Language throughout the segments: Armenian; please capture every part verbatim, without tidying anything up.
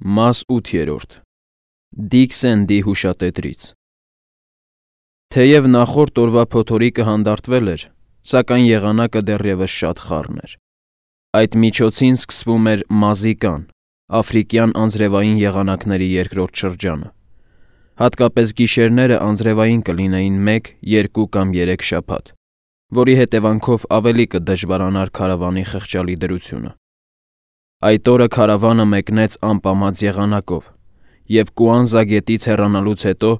Մաս ութ. Դիք Սենդի հուշատետրից Թեև նախորդ օրվա փոթորիկը հանդարտվել էր, սակայն եղանակը դեռևս շատ խառն էր։ Այդ միջոցին սկսվում էր Մազիկան, աֆրիկյան անձրևային եղանակների երկրորդ շրջանը։ Հատկապես գիշերները անձրևային կլինեին մեկ, երկու կամ երեք շաբաթ, որի հետևանքով ավելի կդժվարանար քարավանի խղճալի դրությունը։ Այդ օրը քարավանը մեկնեց անպամած եղանակով, և Կուանզա գետից հեռանալուց հետո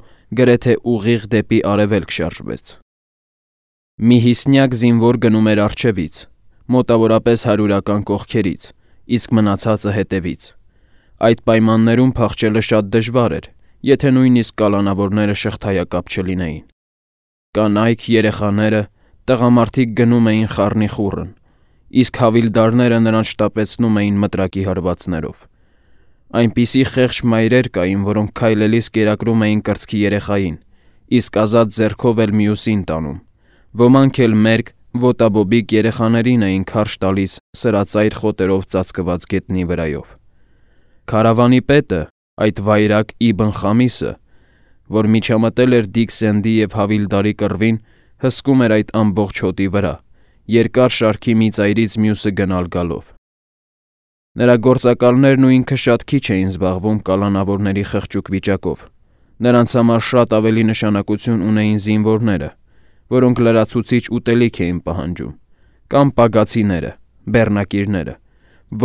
գրեթե ուղիղ դեպի արևելք շարժվեց։ Մի հիսնյակ զինվոր գնում էր առջևից, մոտավորապես հարյուրական կողքերից, իսկ մնացածը հետևից։ Այդ պայմաններում փախչելը շատ դժվար էր, եթե նույնիսկ կալանավորները շղթայակապ չլինեին։ Կանայք, երեխաները, տղամարդիկ գնում էին խառնիխուռն, իսկ հավիլդարները նրանց շտապեցնում էին մտրակի հարվածներով։ Այնպիսի խեղճ մայրեր կային, որոնք քայլելիս կերակրում էին կրծքի երեխային, իսկ ազատ ձեռքով էլ մյուսին տանում։ Ոմանք էլ մերկ, ոտաբոբիկ երեխաներին էին քարշ տալիս սրածայր խոտերով ծածկված գետնի վրայով։ Քարավանի պետը, այդ վայրագ Իբն Խամիսը, որ միջամտել էր Դիք Սենդի և Հավիլդարի կռվին, հսկում էր այդ ամբողջ հոտի վրա, երկար շարքի մի ծայրից մյուսը գնալ գալով։ Նրա գործակալներն ու ինքը շատ քիչ էին զբաղվում կալանավորների խղճուկ վիճակով։ Նրանց համար շատ ավելի նշանակություն ունեին զինվորները, որոնք լրացուցիչ ուտելիք էին պահանջում, կամ պագացիները, բեռնակիրները,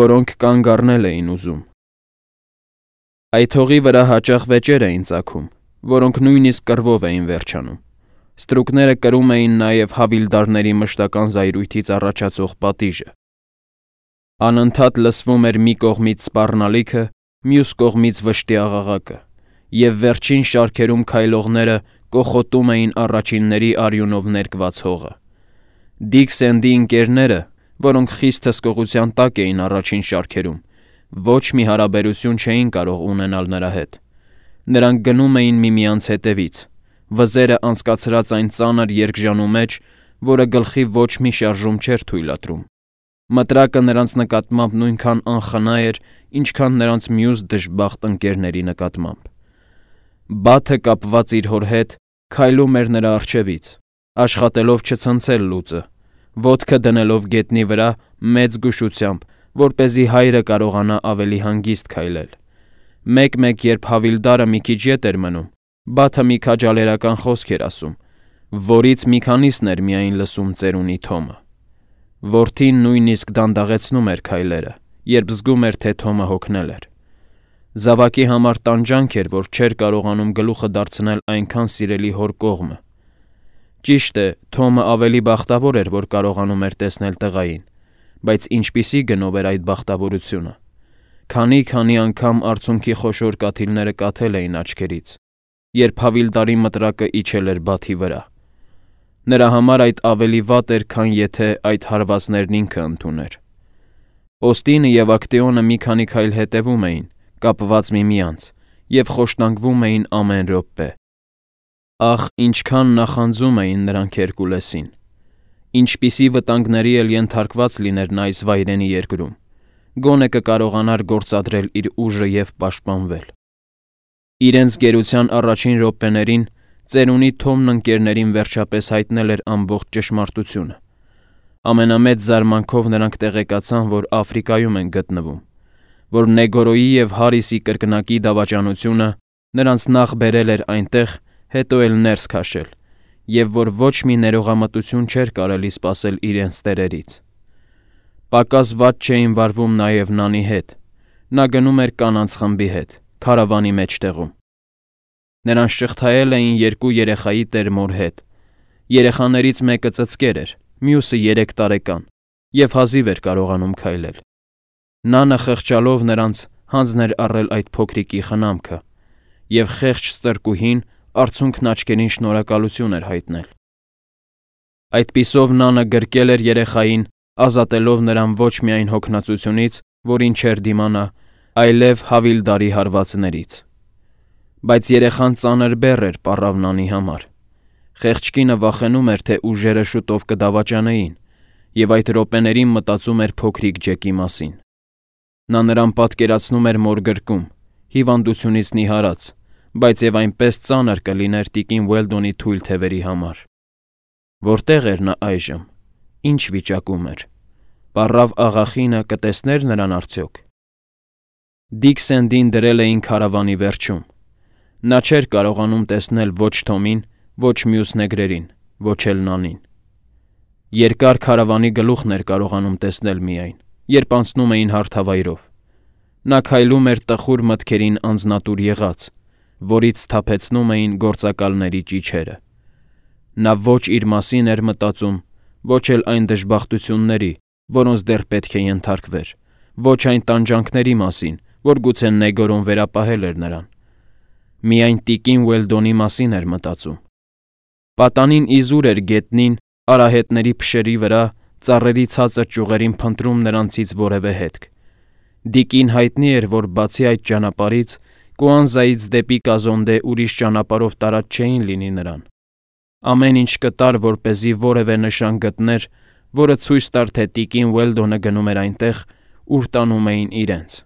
որոնք կանգ առնել էին ուզում։ Այդ հողի վրա հաճախ վեճեր էին ծագում, որոնք նույնիսկ կռվով էին վերջանում։ Ստրուկները կրում էին նաև հավիլդարների մշտական զայրույթից առաջացող պատիժը։ Անընդհատ լսվում էր մի կողմից սպառնալիքը, մյուս կողմից վշտի աղաղակը, և վերջին շարքերում քայլողները կոխոտում էին առաջինների արյունով ներկված հողը։ Դիք Սենդի ընկերները, որոնք խիստ հսկողության տակ էին առաջին շարքերում, ոչ մի հարաբերություն չէին կարող ունենալ նրա հետ։ Նրանք գնում էին միմյանց հետևից, վզերը անցկացրած այն ծանր երկժանու մեջ, որը գլխի ոչ մի շարժում չէր թույլատրում։ Մտրակը նրանց նկատմամբ նույնքան անխնա էր, ինչքան նրանց մյուս դժբախտ ընկերների նկատմամբ։ Բաթը կապված իր հոր հետ քայլում էր նրա առջևից, աշխատելով չցնցել լուծը, ոտքը դնելով գետնի վրա մեծ զգուշությամբ, որպեսզի հայրը կարողանա ավելի հանգիստ քայլել։ Մեկ-մեկ, երբ Հավիլդարը մի քիչ ետ էր մնում, Բաթը մի քաջալերական խոսք էր ասում, որից մի քանիսն էր միայն լսում ծերունի Թոմը։ Որդին նույնիսկ դանդաղեցնում էր քայլերը, երբ զգում էր, թե Թոմը հոգնել էր։ Զավակի համար տանջանք էր, որ չէր կարողանում գլուխը դարձնել այնքան սիրելի հոր կողմը։ Ճիշտ է, Թոմը ավելի բախտավոր էր, որ կարողանում էր տեսնել տղային, բայց ինչպիսի գնով էր այդ բախտավորությունը։ Քանի-քանի անգամ արցունքի խոշոր կաթիլները կաթել էին աչքերից, երբ Հավիլդարի մտրակը իջել էր Բաթի վրա։ Նրա համար այդ ավելի վատ էր, քան եթե այդ հարվածներն ինքը ընդուներ։ Օստինը և Ակտեոնը մի քանի քայլ հետևում էին, կապված միմյանց, և խոշտանգվում էին ամեն րոպե։ Ախ, ինչքան նախանձում էին նրանք Հերկուլեսին։ Ինչպիսի վտանգների էլ ենթարկված լիներ նա այս վայրենի երկրում, գոնե կկարողանար գործադրել իր ուժը և պաշտպանվել։ Իրենց գերության առաջին րոպեներին ծերունի Թոմն ընկերներին վերջապես հայտնել էր ամբողջ ճշմարտությունը։ Ամենամեծ զարմանքով նրանք տեղեկացան, որ Աֆրիկայում են գտնվում, որ Նեգորոյի և Հարիսի կրկնակի դավաճանությունը նրանց նախ բերել էր այնտեղ, հետո էլ ներս քաշել, և որ ոչ մի ներողամտություն չէր կարելի սպասել իրենց տերերից։ Պակաս վատ չէին վարվում նաև Նանի հետ։ Նա գնում էր կանանց խմբի հետ, քարավանի մեջտեղում։ Նրանց շղթայել էին երկու երեխայի տեր-մոր հետ։ Երեխաներից մեկը ծծկեր էր, մյուսը երեք տարեկան, և հազիվ էր կարողանում քայլել։ Նանը խղճալով նրանց հանձն էր առել այդ փոքրիկի խնամքը, և խեղճ ստրկուհին արցունքն աչքերին շնորհակալություն էր հայտնել։ Այդպիսով Նանը գրկել էր երեխային, ազատելով նրան ոչ միայն հոգնածությունից, որին չէր դիմանա, այլև Հավիլդարի հարվածներից։ Բայց երեխան ծանր բեռ էր պառավ Նանի համար։ Խեղճ կինը վախենում էր, թե ուժերը շուտով կդավաճանեին, և այդ րոպեներին մտածում էր փոքրիկ Ջեկի մասին։ Նա նրան պատկերացնում էր մոր գրկում, հիվանդությունից նիհարած, բայց եւ այնպես ծանր կլիներ տիկին Ուելդոնի թույլ թևերի համար։ Որտեղ էր նա այժմ, ինչ վիճակում էր, պառավ աղախինը կտեսներ նրան արդյոք։ Դիքսենդին դրել էին քարավանի վերջում։ Նա չէր կարողանում տեսնել ոչ Թոմին, ոչ մյուս նեգրերին, ոչ էլ Նանին։ Երկար քարավանի գլուխն էր կարողանում տեսնել միայն, երբ անցնում էին հարթավայրով։ Նա քայլում էր տխուր մտքերին անձնատուր եղած, որից սթափեցնում էին գործակալների ճիչերը։ Նա ոչ իր մասին էր մտածում, ոչ էլ այն դժբախտությունների, որոնց դեռ պետք է ենթարկվեր, ոչ այն տանջանքների մասին, որ գուցե Նեգորոն վերապահել էր նրան։ Միայն տիկին Ուելդոնի մասին էր մտածում։ Պատանին իզուր էր գետնին, արահետների փշերի վրա, ծառերի ցածր ճյուղերին փնտրում նրանցից որևէ հետք։ Դիկին հայտնի էր, որ բացի այդ ճանապարհից, Կուանզայից դեպի Կազոնդե ուրիշ ճանապարհով տարած չէին լինի նրան։ Ամեն ինչ կտար, որպեսզի որևէ նշան գտներ, որը ցույց տար, թե տիկին Ուելդոնը գնում էր այնտեղ, ուր տանում էին իրենց։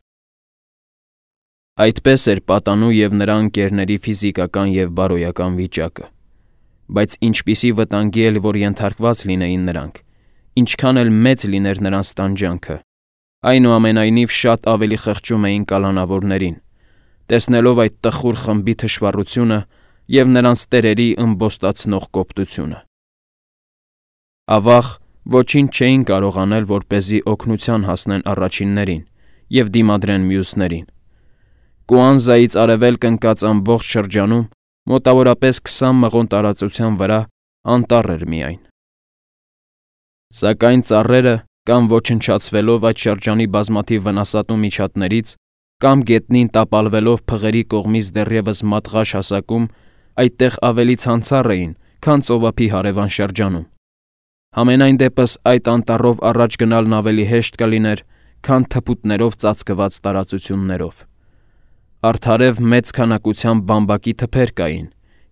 Այդպես էր պատանու և նրա ընկերների ֆիզիկական և բարոյական վիճակը։ Բայց ինչպիսի վտանգի էլ որ ենթարկված լինեին նրանք, ինչքան էլ մեծ լիներ նրանց տանջանքը, այնուամենայնիվ շատ ավելի խղճում էին կալանավորներին, տեսնելով այդ տխուր խմբի թշվառությունը և նրանց տերերի ըմբոստացնող կոպտությունը։ Ավաղ, ոչինչ չէին կարող անել, որպեսզի օգնության հասնեն առաջիններին և դիմադրեն մյուսներին։ Կուանզայից արևելք ընկած ամբողջ շրջանում, մոտավորապես քսան մղոն տարածության վրա, անտառ էր միայն։ Սակայն ծառերը, կամ ոչնչացվելով այդ շրջանի բազմաթիվ վնասատու միջատներից, կամ գետնին տապալվելով փղերի կողմից դեռևս մատղաշ հասակում, այդտեղ ավելի ցանցառ էին, քան ծովափի հարևան շրջանում։ Համենայն դեպս այդ անտառով առաջ գնալն ավելի հեշտ կլիներ, քան թփուտներով ծածկված տարածություններով։ Արդարև մեծ քանակությամբ բամբակի թփեր կային,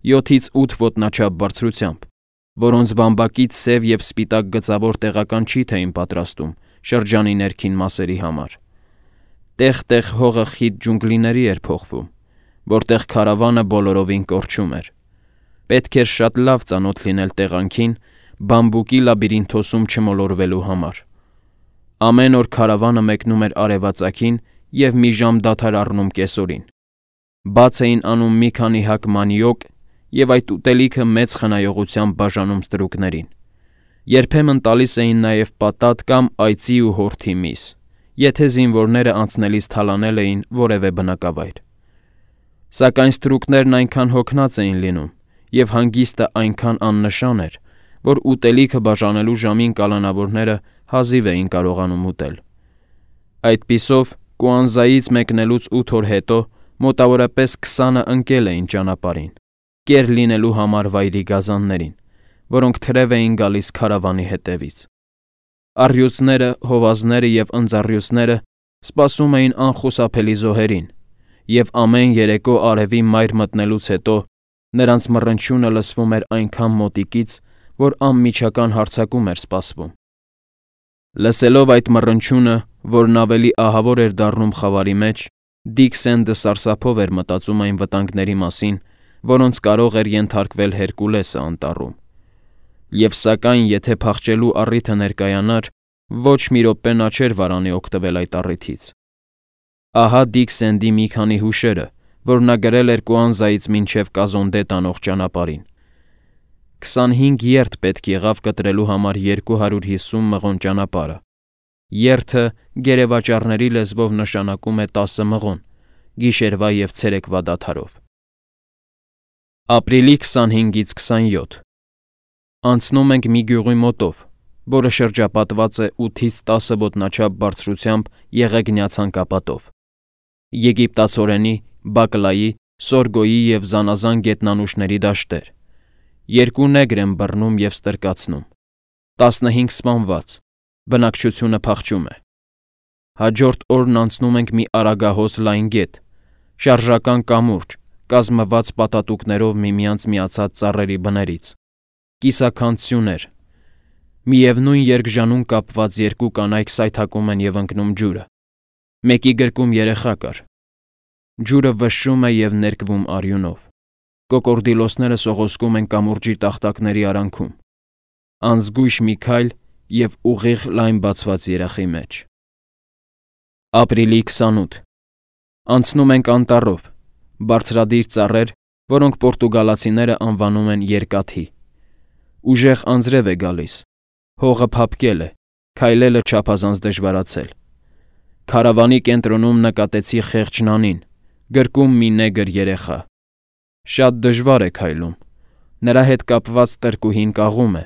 յոթից ութ ոտնաչափ բարձրությամբ, որոնց բամբակից սև և սպիտակ գծավոր տեղական չիթ էին պատրաստում շրջանի ներքին մասերի համար։ Տեղ-տեղ հողը խիտ ջունգլիների էր փոխվում, որտեղ քարավանը բոլորովին կորչում էր։ Պետք էր շատ լավ ծանոթ լինել տեղանքին, բամբուկի լաբիրինթոսում չմոլորվելու համար։ Ամեն օր քարավանը մեկնում էր արևածագին և մի ժամ դադար առնում կեսօրին։ Բաց էին անում մի քանի հակ մանիոկ և այդ ուտելիքը մեծ խնայողությամբ բաժանում ստրուկներին։ Երբեմն տալիս էին նաև պատատ կամ այծի ու հորթի միս, եթե զինվորները անցնելիս թալանել էին որևէ բնակավայր։ Սակայն ստրուկներն այնքան հոգնած էին լինում, և հանգիստը այնքան աննշան էր, որ ուտելիքը բաժանելու ժամին կալանավորները հազիվ էին կարողանում ուտել։ Այդպիսով, Կուանզայից մեկնելուց ութ օր հետո մոտավորապես քսանը ընկել էին ճանապարհին, կեր լինելու համար վայրի գազաններին, որոնք թրև էին գալիս քարավանի հետևից։ Առյուծները, հովազները և ընձառյուծները սպասում էին անխուսափելի զոհերին, և ամեն երեկո արևի մայր մտնելուց հետո նրանց մռնչյունը լսվում էր այնքան մոտիկից, որ անմիջական հարձակում էր սպասվում։ Լսելով այդ մռնչյունը, որն ավելի ահավոր էր դառնում խավարի մեջ, Դիքսենդը սարսափով էր մտածում այն վտանգների մասին, որոնց կարող էր ենթարկվել Հերկուլեսը անտառում։ Եվ սակայն, եթե փախչելու առիթը ներկայանար, ոչ մի րոպե նա չէր վարանի օգտվել այդ առիթից։ Ահա Դիքսենդի մի քանի հուշերը, որ նա գրել էր Կուանզայից մինչև Կազոնդե տանող ճանապարհին։ Քսանհինգ երթ պետք եղավ կտրելու համար երկու հարյուր հիսուն մղոն ճանապարհը։ Երթը գերեվաճառների լեզվով նշանակում է տասը մղոն, գիշերվա և ցերեկվա դադարով։ Ապրիլի քսանհինգից քսանյոթ Անցնում ենք մի գյուղի մոտով, որը շրջապատված է ութից տասը ոտնաչափ բարձրությամբ եղեգնյա ցանկապատով։ Եգիպտացորենի, բակլայի, սորգոյի և զանազան գետնանուշների դաշտեր։ Երկու նեգր են բռնում և ստրկացնում։ Տասնհինգ սպանված, բնակչությունը փախչում է։ Հաջորդ օրն անցնում ենք մի արագահոս լայն գետ, շարժական կամուրջ, կազմված պատատուկներով միմյանց միացած ծառերի բներից, կիսաքանդ սյուներ։ Միևնույն երկժանուն կապված երկու կանայք սայթաքում են և ընկնում ջուրը։ Մեկի գրկում երեխա կար։ Ջուրը վշշում է և ներկվում արյունով։ Կոկորդիլոսները սողոսկում են կամուրջի տախտակների արանքում։ Անզգույշ մի քայլ և ուղիղ լայն բացված երախի մեջ։ Ապրիլի քսանութ Անցնում ենք անտառով, բարձրադիր ծառեր, որոնք պորտուգալացիները անվանում են երկաթի։ Ուժեղ անձրև է գալիս, հողը փափկել է, քայլելը չափազանց դժվարացել։ Քարավանի կենտրոնում նկատեցի խեղճ նանին, գրկում մի նեգր երեխա։ Շատ դժվար է քայլում, նրա հետ կապված տրկուհին կաղում է,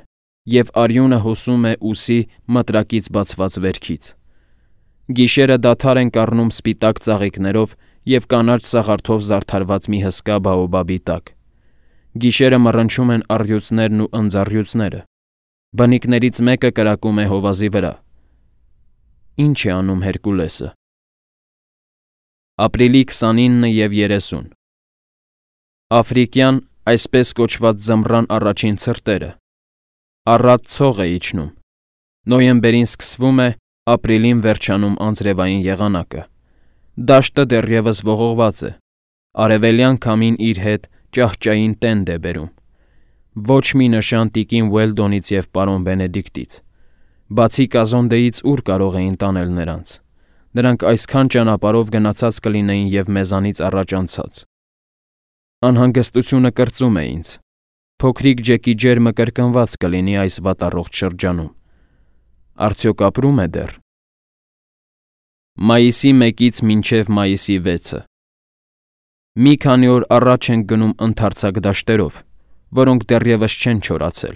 և արյունը հոսում է ուսի մտրակից բացված վերքից։ Գիշերը դադար ենք առնում սպիտակ ծաղիկներով և կանաչ սաղարթով զարդարված մի հսկա բաոբաբի տակ։ Գիշերը մռնչում են առյուծներն ու ընձառյուծները։ Բնիկներից մեկը կրակում է հովազի վրա։ Ինչ է անում Հերկուլեսը։ Ապրիլի քսանինը և երեսուն Աֆրիկյան, այսպես կոչված ձմռան առաջին ցրտերը։ Առատ ցող է իջնում։ Նոյեմբերին սկսվում է, ապրիլին վերջանում անձրևային եղանակը։ Դաշտը դեռևս ողողված է։ Արևելյան քամին իր հետ ճահճային տենդ է բերում։ Ոչ մի նշան տիկին Ուելդոնից և պարոն Բենեդիկտից։ Բացի Կազոնդեից ուր կարող էին տանել նրանց։ Նրանք այսքան ճանապարհով գնացած կլինեին և մեզանից առաջ անցած։ Անհանգստությունը կրծում է ինձ։ Փոքրիկ Ջեկի ջերմը կրկնված կլինի այս վատառողջ շրջանում։ Արդյոք ապրում է դեռ։ Մայիսի մեկից մինչև մայիսի վեցը Մի քանի օր առաջ ենք գնում ընդարձակ դաշտերով, որոնք դեռևս չեն չորացել։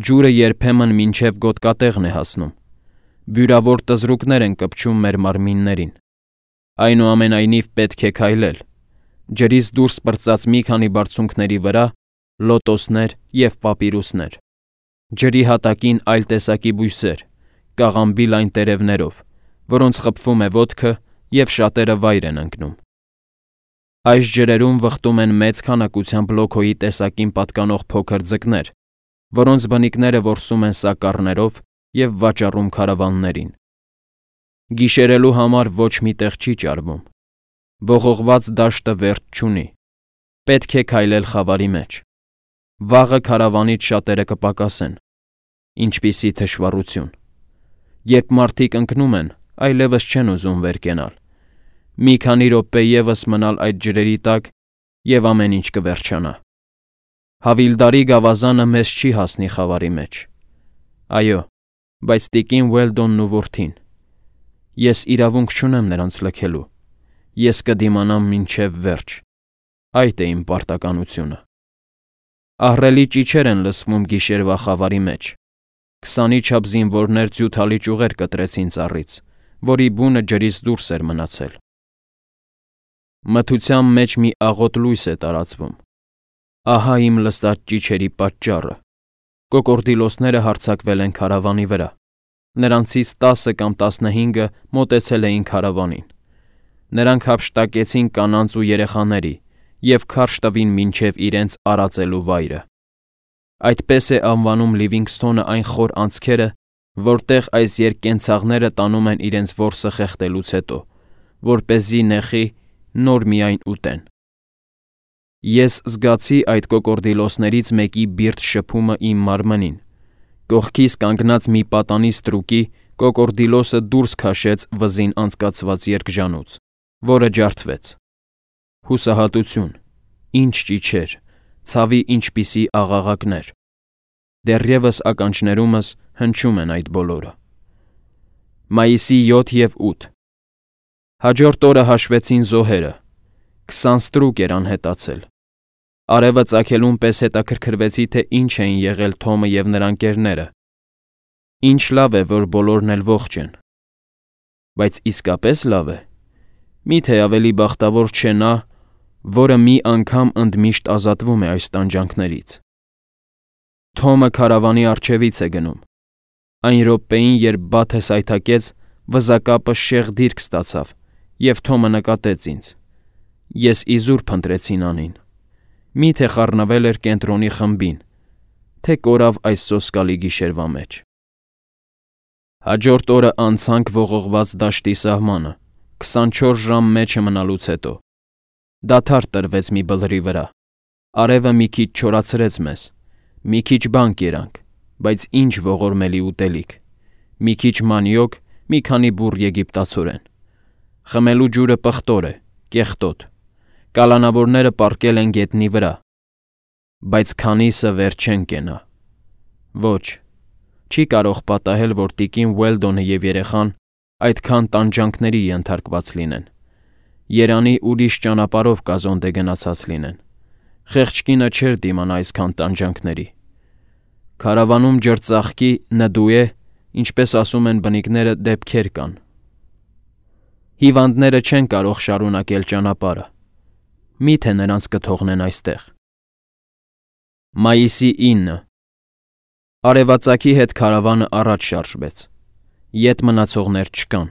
Ջուրը երբեմն մինչև գոտկատեղն է հասնում։ Բյուրավոր տզրուկներ են կպչում մեր մարմիններին։ Այնուամենայնիվ պետք է քայլել։ Ջրից դուրս պրծած մի քանի բարձունքների վրա լոտոսներ և պապիրուսներ։ Ջրի հատակին այլ տեսակի բույսեր, կաղամբի լայն տերևներով, որոնց խփվում է ոտքը և շատերը վայր են ընկնում։ Այս ջրերում վխտում են մեծ քանակությամբ լոքոյի տեսակին պատկանող փոքր ձկներ, որոնց բնիկները որսում են սակառներով և վաճառում քարավաններին։ Գիշերելու համար ոչ մի տեղ չի ճարվում։ Ողողված դաշտը վերջ չունի։ Պետք է քայլել խավարի մեջ։ Վաղը քարավանից շատերը կպակասեն։ Ինչպիսի թշվառություն։ Երբ մարդիկ ընկնում են, այլևս չեն ուզում վեր կենալ։ Մի քանի րոպե ևս մնալ այդ ջրերի տակ, և ամեն ինչ կվերջանա։ Հավիլդարի գավազանը մեզ չի հասնի խավարի մեջ։ Այո, բայց տիկին Ուելդոնն ու որդին։ Ես իրավունք չունեմ նրանց լքելու։ Ես կդիմանամ մինչև վերջ։ Այդ է իմ պարտականությունը։ Ահռելի ճիչեր են լսվում գիշերվա խավարի մեջ։ Քսանի չափ զինվորներ ձյութալի ճյուղեր կտրեցին ծառից, որի բունը ջրից դուրս էր մնացել։ Մթության մեջ մի աղոտ լույս է տարածվում։ Ահա իմ լսած ճիչերի պատճառը։ Կոկորդիլոսները հարձակվել են քարավանի վրա։ Նրանցից տասը կամ տասնհինգը մոտեցել էին քարավանին։ Նրանք հափշտակեցին կանանց ու երեխաների և քարշ տվին մինչև իրենց արածելու վայրը։ Այդպես է անվանում Լիվինգսթոնը այն խոր անցքերը, որտեղ այս երկկենցաղները տանում են իրենց որսը խեղդելուց հետո, որպեսզի նեխի նոր միայն ուտեն։ Ես զգացի այդ կոկորդիլոսներից մեկի բիրտ շփումը իմ մարմնին։ Կողքիս կանգնած մի պատանի ստրուկի կոկորդիլոսը դուրս քաշեց վզին անցկացված երկժանուց, որը ջարդվեց։ Հուսահատություն, ինչ ճիչեր, ցավի ինչպիսի աղաղակներ։ Դեռևս ականջներումս հնչում են այդ բոլորը։ Մայիսի յոթ և ութ Հաջորդ օրը հաշվեցին զոհերը։ Քսան ստրուկ էր անհետացել։ Արևը ծագելուն պես հետաքրքրվեցի, թե ինչ էին եղել Թոմը և նրա ընկերները։ Ինչ լավ է, որ բոլորն էլ ողջ են։ Բայց իսկապես լավ է։ Միթե ավելի բախտավոր չէ նա, որը մի անգամ ընդմիշտ ազատվում է այս տանջանքներից։ Թոմը քարավանի առջևից է գնում։ Այն րոպեին, երբ բաթը սայթաքեց, վզակապը շեղ դիրք ստացավ, և Թոմը նկատեց ինձ։ Ես իզուր փնտրեցի նանին։ Միթե խառնվել էր կենտրոնի խմբին, թե կորավ այս սոսկալի գիշերվա մեջ։ Հաջորդ օրը անցանք ողողված դաշտի սահմանը, քսանչորս ժամ մեջը մնալուց հետո։ Դադար տրվեց մի բլրի վրա։ Արևը մի քիչ չորացրեց մեզ։ Մի քիչ բան կերանք, բայց ինչ ողորմելի ուտելիք։ Մի քիչ մանյոկ, մի քանի բուռ եգիպտացորեն։ Խմելու ջուրը պղտոր է, կեղտոտ։ Կալանավորները պառկել են գետնի վրա, բայց քանիսը վեր չեն կենա։ Ոչ, չի կարող պատահել, որ տիկին Ուելդոնը և երեխան այդքան տանջանքների ենթարկված լինեն։ Երանի ուրիշ ճանապարհով կազոնդե գնացած լինեն։ Խեղճ կինը չէր դիմանա այսքան տանջանքների։ Քարավանում ջրծաղկի նդուե, ինչպես ասում են բնիկները, դեպքեր կան։ Հիվանդները չեն կարող շարունակել ճանապարհը։ Մի՞թե նրանց կթողնեն այստեղ։ Մայիսի ինը Արևածագի հետ քարավանը առաջ շարժվեց։ Ետ մնացողներ չկան։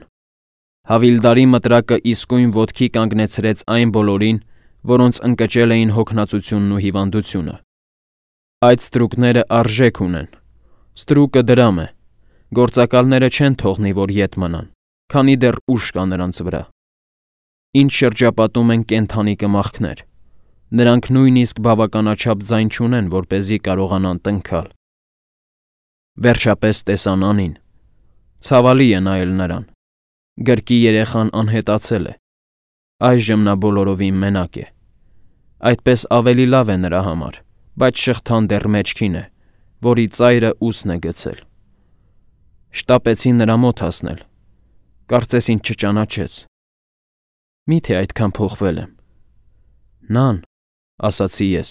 Հավիլդարի մտրակը իսկույն ոտքի կանգնեցրեց այն բոլորին, որոնց ընկճել էին հոգնածությունն ու հիվանդությունը։ Այդ ստրուկները արժեք ունեն։ Ստրուկը դրամ է։ Գործակալները չեն թողնի, որ ետ մնան, քանի դեռ ուժ կա նրանց վրա։ Ինչ շրջապատում են կենդանի կմախքներ։ Նրանք նույնիսկ բավականաչափ ձայն չունեն, որպեսզի կարողանան տնքալ։ Վերջապես տեսան Անին։ Ցավալի է նայել նրան։ Գրկի երեխան անհետացել է։ Այժմ նա բոլորովին մենակ է։ Այդպես ավելի լավ է նրա համար, բայց շղթան դեռ մեջքին է, որի ծայրը ուսն է գցել։ Շտապեցի նրա մոտ հասնել։ Կարծես ինձ չճանաչեց։ Մի՞թե այդքան փոխվել եմ։ Նան, ասացի ես։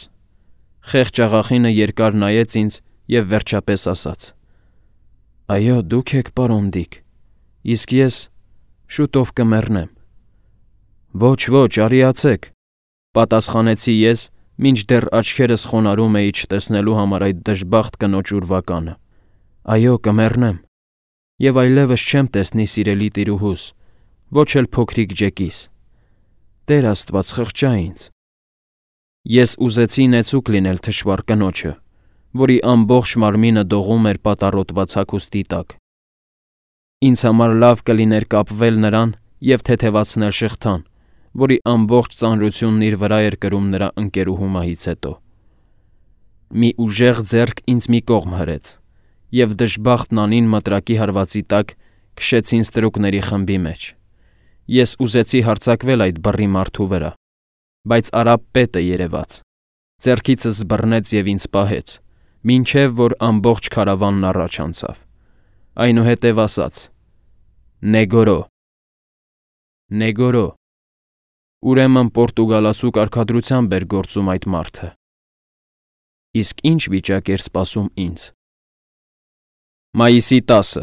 Խեղճ աղախինը երկար նայեց ինձ և վերջապես ասաց. Այո, դուք եք, պարոն Դիկ, իսկ ես շուտով կմեռնեմ։ Ոչ, ոչ, արիացեք, պատասխանեցի ես, մինչդեռ աչքերս խոնարհում էի չտեսնելու համար այդ դժբախտ կնոջ ուրվականը։ Այո, կմեռնեմ։ Եվ այլևս չեմ տեսնի սիրելի տիրուհուս, ոչ էլ փոքրիկ Ջեկիս։ Տեր Աստված, խղճա ինձ։ Ես ուզեցի նեցուկ լինել թշվառ կնոջը, որի ամբողջ մարմինը դողում էր պատառոտված հագուստի տակ։ Ինձ համար լավ կլիներ կապվել նրան և թեթևացնել շղթան, որի ամբողջ ծանրությունն իր վրա էր կրում նրա ընկերուհու մահից հետո։ Մի ուժեղ ձեռք ինձ մի կողմ հրեց, և դժբախտ Նանին մտրակի հարվածի տակ քշեցին ստրուկների խմբի մեջ։ Ես ուզեցի հարձակվել այդ բռի մարդու վրա, բայց արաբ պետը երևաց, ձեռքիցս բռնեց և ինձ պահեց, մինչև որ ամբողջ քարավանն առաջ անցավ։ Այնուհետև ասաց. Նեգորո։ Նեգորո։ Ուրեմն պորտուգալացու կարգադրությամբ էր գործում այդ մարդը։ Իսկ ինչ վիճակ էր սպասում ինձ։ Մայիսի տասը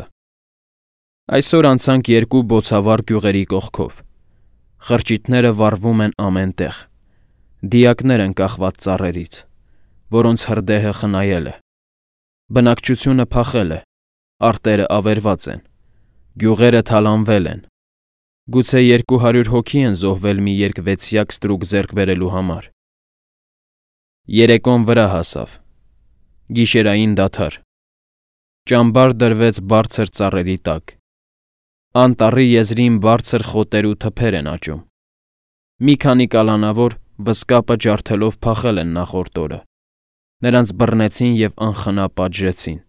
Այսօր անցանք երկու բոցավառ գյուղերի կողքով։ Խրճիթները վառվում են ամեն տեղ։ Դիակներ են կախված ծառերից, որոնց հրդեհը խնայել է։ Բնակչությունը փախել է, արտերը ավերված են, գյուղերը թալանվել են։ Գուցե երկու հարյուր հոգի են զոհվել մի երկվեցյակ ստրուկ ձեռք բերելու համար։ Երեկոն վրա հասավ։ Գիշերային դադար։ Ճամբար դրվեց բարձր ծառերի տակ։ Անտառի եզրին բարձր խոտեր ու թփեր են աճում։ Մի քանի կալանավոր վսկապը ջարդելով փախել են նախորդ օրը։ Նրանց բռնեցին և անխնա պատժեցին։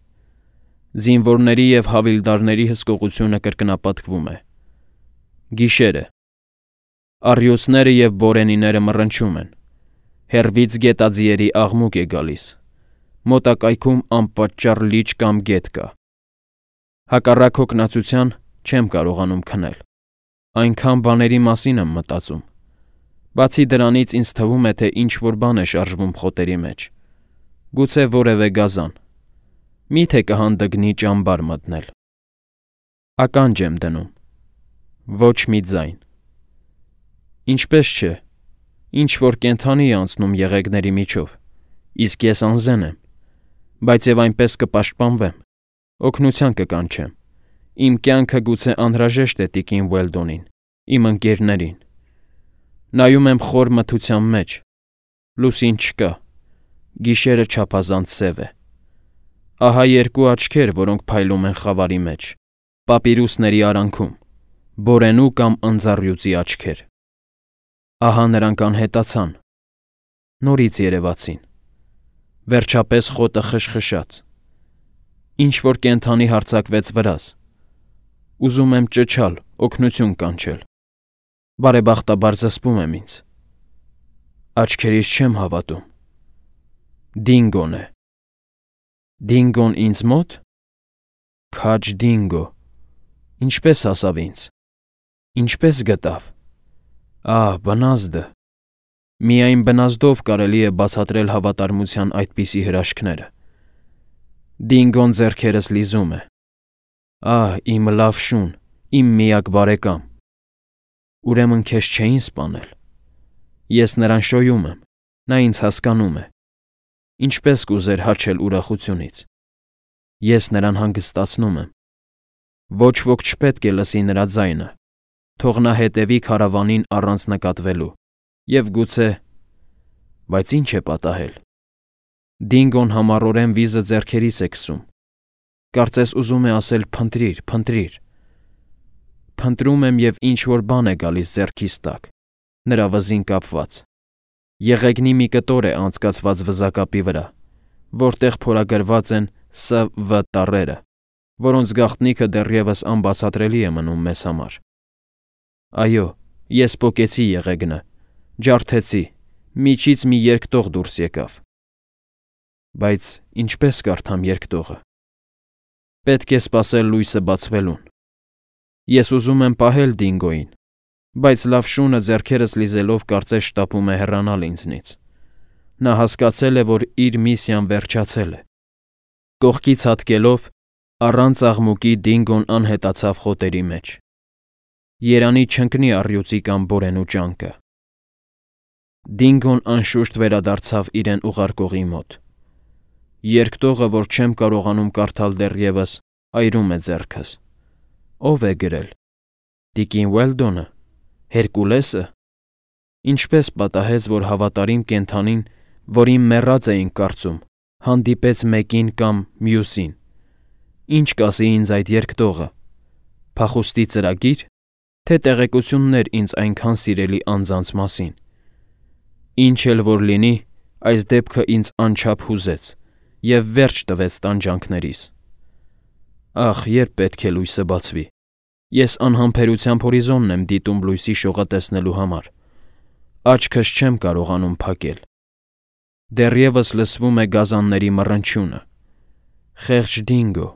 Զինվորների և հավիլդարների հսկողությունը կրկնապատկվում է։ Գիշեր է։ Առյուծները և բորենիները մռնչում են։ Հեռվից գետաձիերի աղմուկ է գալիս։ Մոտակայքում անպատճառ լիճ կամ գետ կա։ Հակառակ հոգնածության չեմ կարողանում քնել։ Այնքան բաների մասին եմ մտածում։ Բացի դրանից ինձ թվում է, թե ինչ-որ բան է շարժվում խոտերի մեջ։ Գուցե որևէ գազան։ Մի՞թե կհանդգնի ճամբար մտնել։ Ականջ եմ դնում։ Ոչ մի ձայն։ Ինչպես չէ, ինչ-որ կենդանի է անցնում եղեգների միջով, իսկ ես անզեն եմ, բայց և այնպես կպաշտպանվեմ, օգնության կկանչեմ։ Իմ կյանքը գուցե անհրաժեշտ է տիկին Ուելդոնին, իմ ընկերներին։ Նայում եմ խոր մթության մեջ։ Լուսին չկա։ Գիշերը չափազանց սև է։ Ահա երկու աչքեր, որոնք փայլում են խավարի մեջ, պապիրուսների արանքում, բորենու կամ ընձառյուծի աչքեր։ Ահա նրանք անհետացան, նորից երևացին, վերջապես խոտը խշխշաց, ինչ-որ կենդանի հարձակվեց վրաս, ուզում եմ ճչալ, օգնություն կանչել, բարեբախտաբար զսպում եմ ինձ, աչքերիս չեմ հավատում, Դինգոն է, Դինգոն ինձ մոտ, քաջ Դինգո, ինչպես հասավ ինձ, ինչպես գտավ, ահ, բնազդը, միայն բնազդով կարելի է բացատրել հավատարմության այդպիսի հրաշքները, Դինգոն ձեռքերս լիզում է, ահ, իմ լավ շուն, իմ միակ բարեկամ, ուրեմն քեզ չէին սպանել, ես նրան շոյում եմ, նա ինձ հասկանում է, ինչպես կուզեր հաչել ուրախությունից, ես նրան հանգստացնում եմ, ոչ ոք չպետք է լսի նրա ձայնը, թող նա հետևի քարավանին առանց նկատվելու, և գուցե, բայց ինչ է պատահել, Դինգոն համառորեն վիզը ձեռքերիս է քսում, կարծես ուզում է ասել փնտրիր, փնտրիր, փնտրում եմ և ինչ-որ բան է գալիս ձեռքիս տակ, նրա վզին կապված, եղեգնի մի կտոր է անցկացված վզակապի վրա, որտեղ փորագրված են Ս Վ տառերը, որոնց գաղտնիքը դեռևս անբացատրելի է մնում մեզ համար։ Այո, ես պոկեցի եղեգնը, ջարդեցի, միջից մի երկտող դուրս եկավ։ Բայց ինչպես կարդամ երկտողը։ Պետք է սպասել լույսը բացվելուն։ Ես ուզում եմ պահել Դինգոյին, բայց լավ շունը ձեռքերս լիզելով կարծես շտապում է հեռանալ ինձնից։ Նա հասկացել է, որ իր միսիան վերջացել է։ Կողքից հատկելով, առանց աղմուկի Դինգոն անհետացավ խոտերի մեջ։ Երանի չընկնի առյուծի կամ բորենու ճանկը։ Դինգոն անշուշտ վերադարձավ իրեն ուղարկողի մոտ։ Երկտողը, որ չեմ կարողանում կարդալ դեռևս, այրում է ձեռքս։ Ո՞վ է գրել։ Տիկին Ուելդոնը, Հերկուլեսը։ Ինչպես պատահեց, որ հավատարիմ կենդանին, որին մեռած էինք կարծում, հանդիպեց մեկին կամ մյուսին։ Ինչ կասի ինձ այդ երկտողը։ Փախուստի ծրագի՞ր, թե տեղեկություններ ինձ այնքան սիրելի անձանց մասին։ Ինչ էլ որ լինի, այս դեպքը ինձ անչափ հուզեց և վերջ տվեց տանջանքներիս։ Ախ, երբ պետք է լույսը բացվի։ Ես անհամբերությամբ հորիզոնն եմ դիտում լույսի շողը տեսնելու համար։ Աչքս չեմ կարողանում փակել։ Դեռևս լսվում է գազանների մռնչյունը։ Խեղճ Դինգո։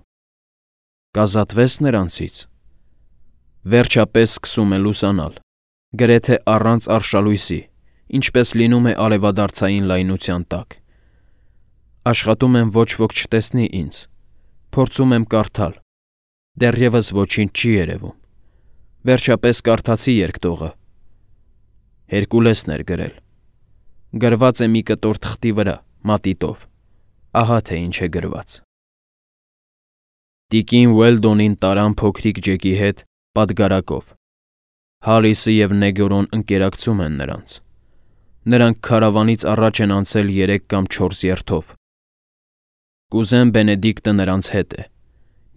Կազատվես նրանցից։ Վերջապես սկսում է լուսանալ, գրեթե առանց արշալույսի, ինչպես լինում է արևադարձային լայնության տակ։ Աշխատում եմ ոչ ոք չտեսնի ինձ, փորձում եմ կարդալ, դեռևս ոչինչ չի երևում, վերջապես կարդացի երկտողը, Հերկուլեսն էր գրել, գրված է մի կտոր թղթի վրա, մատիտով, ահա թե ինչ է գրված։ Տիկին Ուելդոնին տարան փոքրիկ Ջեկի հետ պատգարակով, Հարիսը և Նեգորոն ընկերակցում են նրանց, նրանք քարավանից առաջ են անցել երեք կամ չորս երթով։ Կուզեն Բենեդիկտը նրանց հետ է,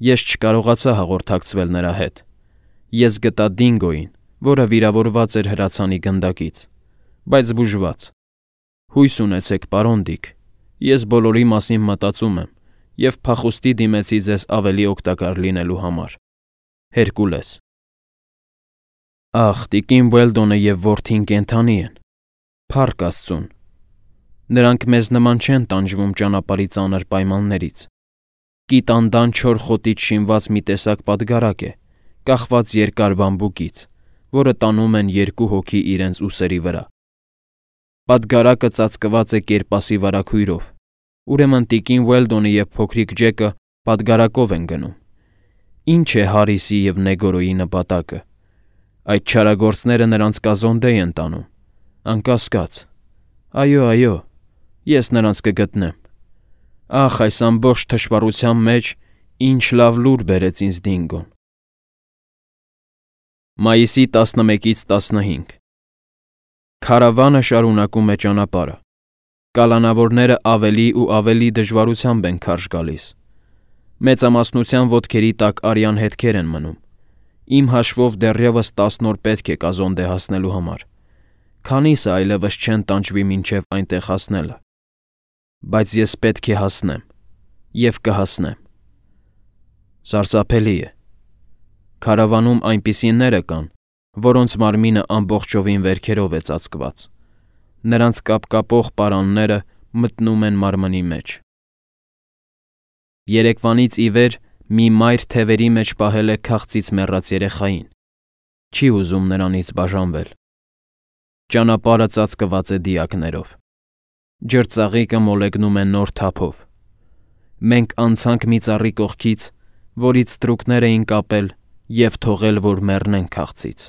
ես չկարողացա հաղորդակցվել նրա հետ, ես գտա Դինգոյին, որը վիրավորված էր հրացանի գնդակից, բայց բուժված։ Հույս ունեցեք, պարոն Դիկ, ես բոլորի մասին մտածում եմ և փախուստի դիմեցի ձեզ ավելի օգտակար լինելու համար։ Հերկուլես։ Ախ, տիկին Ուելդոնը և որդին կենդանի են, փառք Աստծուն։ Նրանք մեզ նման չեն տանջվում ճանապարհի ծանր պայմաններից։ Կիտանդան չոր խոտից շինված մի տեսակ պատգարակ է, կախված երկար բամբուկից, որը տանում են երկու հոգի իրենց ուսերի վրա։ Պատգարակը ծածկված է կերպասի վարագույրով, ուրեմն տիկին Ուելդոնը և փոքրիկ Ջեկը պատգարակով են գնում։ Ինչ է Հարիսի և Նեգորոյի նպատակը։ Այդ չարագործները նրանց կազոնդեյ են տանում, անկասկած։ Այո, այո, ես նրանց կգտնեմ։ Ախ, այս ամբողջ թշվառության մեջ ինչ լավ լուր բերեց ինձ Դինգոն։ Մայիսի տասնմեկից տասնհինգ Քարավանը շարունակում է ճանապարհը։ Կալանավորները ավելի ու ավելի դժվարությամբ են քարշ գալիս։ Մեծամասնության ոտքերի տակ արյան հետքեր են մնում։ Իմ հաշվով դեռևս տասն օր պետք է կազոնդե հասնելու համար։ Քանիսը այլևս չեն տանջվի մինչև այնտեղ հասնելը։ Բայց ես պետք է հասնեմ, և կհասնեմ։ Սարսափելի է։ Քարավանում այնպիսիները կան, որոնց մարմինը ամբողջովին վերքերով է ծածկված։ Նրանց կապկապող պարանները մտնում են մարմնի մեջ։ Երեկվանից ի վեր մի մայր թևերի մեջ պահել է քաղցից մեռած երեխային։ Չի ուզում նրանից բաժանվել։ Ճանապարհը ծածկված է դիակներով։ Ջրծաղիկը մոլեգնում է նոր թափով։ Մենք անցանք մի ծառի կողքից, որից ստրուկներ էին կապել և թողել, որ մեռնեն քաղցից։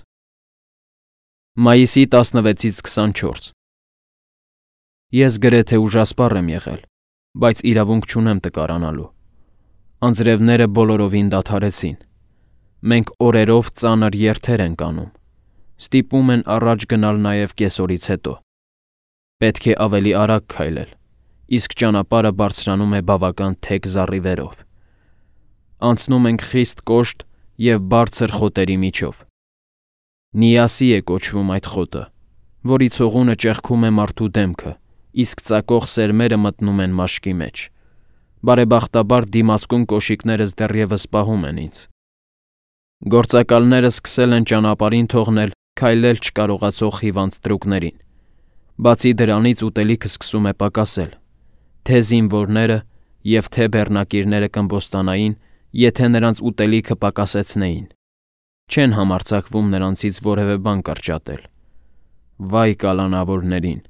Մայիսի տասնվեցից քսանչորս։ Ես գրեթե ուժասպառ եմ եղել, բայց իրավունք չունեմ տկարանալու։ Անձրևները բոլորովին դադարեցին։ Մենք օրերով ծանր երթեր ենք անում։ Ստիպում են առաջ գնալ նաև կեսօրից հետո։ Պետք է ավելի արագ քայլել, իսկ ճանապարհը բարձրանում է բավական թեք զառիվերով։ Անցնում ենք խիստ կոշտ և բարձր խոտերի միջով։ Նիասի է կոչվում այդ խոտը, որի ցողունը ճեղքում է մարդու դեմքը, իսկ ծակող սերմերը մտնում են մաշկի մեջ։ Բարեբախտաբար դիմացկուն կոշիկներս դեռևս պահում են ինձ։ Գործակալները սկսել են ճանապարհին թողնել քայլել չկարողացող հիվանդ ստրուկներին։ Բացի դրանից ուտելիքը սկսում է պակասել։ Թե զինվորները և թե բեռնակիրները կըմբոստանային, եթե նրանց ուտելիքը պակասեցնեին։ Չեն համարձակվում նրանցից որևէ բան կրճատել։ Վայ կալանավորներին։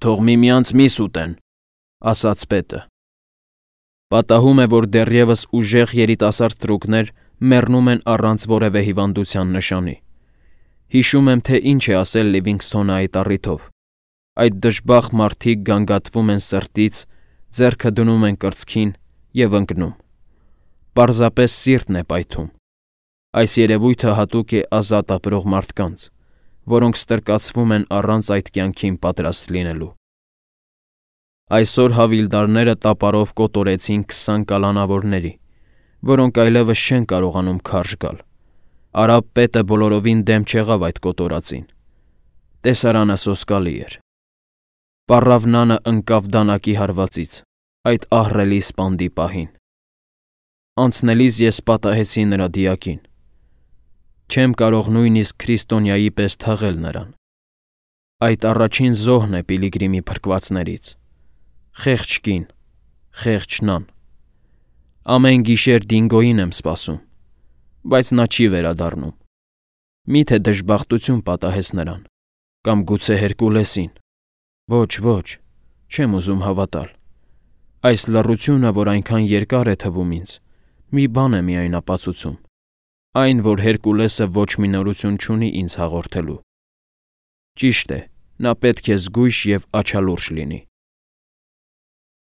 «Թող միմյանց միս ուտեն», ասաց պետը։ Պատահում է, որ դեռևս ուժեղ երիտասարդ ստրուկներ մեռնում են առանց որևէ հիվանդության նշանի։ Հիշում եմ, թե ինչ է ասել Լիվինգսթոնը այդ առիթով։ Այդ դժբախտ մարդիկ գանգատվում են սրտից, ձեռքը դնում են կրծքին և ընկնում։ Պարզապես սիրտն է պայթում։ Այս երևույթը հատուկ է ազատ ապրող մարդկանց, որոնք ստրկացվում են առանց այդ կյանքին պատրաստ լինելու։ Այսօր հավիլդարները տապարով կոտորեցին քսան կալանավորների, որոնք այլևս չեն կարողանում քարշ գալ։ Արաբ պետը բոլորովին դեմ չեղավ այդ կոտորածին։ Տեսարանը սոսկալի էր։ Պառավնանը ընկավ դանակի հարվածից, այդ ահռելի սպանդի պահին։ Անցնելիս ես պատահեցի նրա դիակին։ Չեմ կարող նույնիսկ քրիստոնյայի պես թաղել նրան։ Այդ առաջին զոհն է Պիլիգրիմի փրկվածներից։ Խեղճ կին, խեղճ նան։ Ամեն գիշեր Դինգոյին եմ սպասում, բայց նա չի վերադառնում։ Մի՞թե դժբախտություն պատահեց նրան, կամ գուցե Հերկուլեսին։ Ոչ, ոչ, չեմ ուզում հավատալ։ Այս լռությունը, որ այնքան երկար է թվում ինձ, մի բան է միայն ապացուցում. այն, որ Հերկուլեսը ոչ մի նորություն չունի ինձ հաղորդելու։ Ճիշտ է, նա պետք է զգույշ և աչալուրջ լինի։